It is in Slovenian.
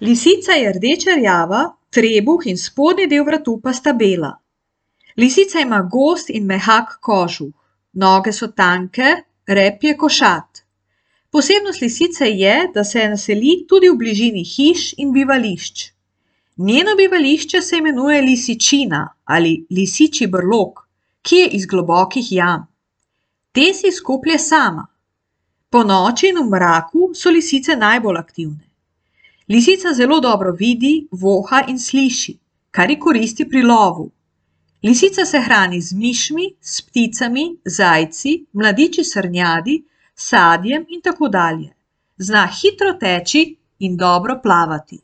Lisica je rdeče rjava, trebuh in spodnji del vratu pa sta bela. Lisica ima gost in mehak kožuh, noge so tanke, rep je košat. Posebnost lisice je, da se naseli tudi v bližini hiš in bivališč. Njeno bivališče se imenuje lisičina ali lisičji brlog, ki je iz globokih jam. Te si izkoplje sama. Ponoči in v mraku so lisice najbolj aktivne. Lisica zelo dobro vidi, voha in sliši, kar ji koristi pri lovu. Lisica se hrani z mišmi, s pticami, zajci, mladiči srnjadi, sadjem in tako dalje. Zna hitro teči in dobro plavati.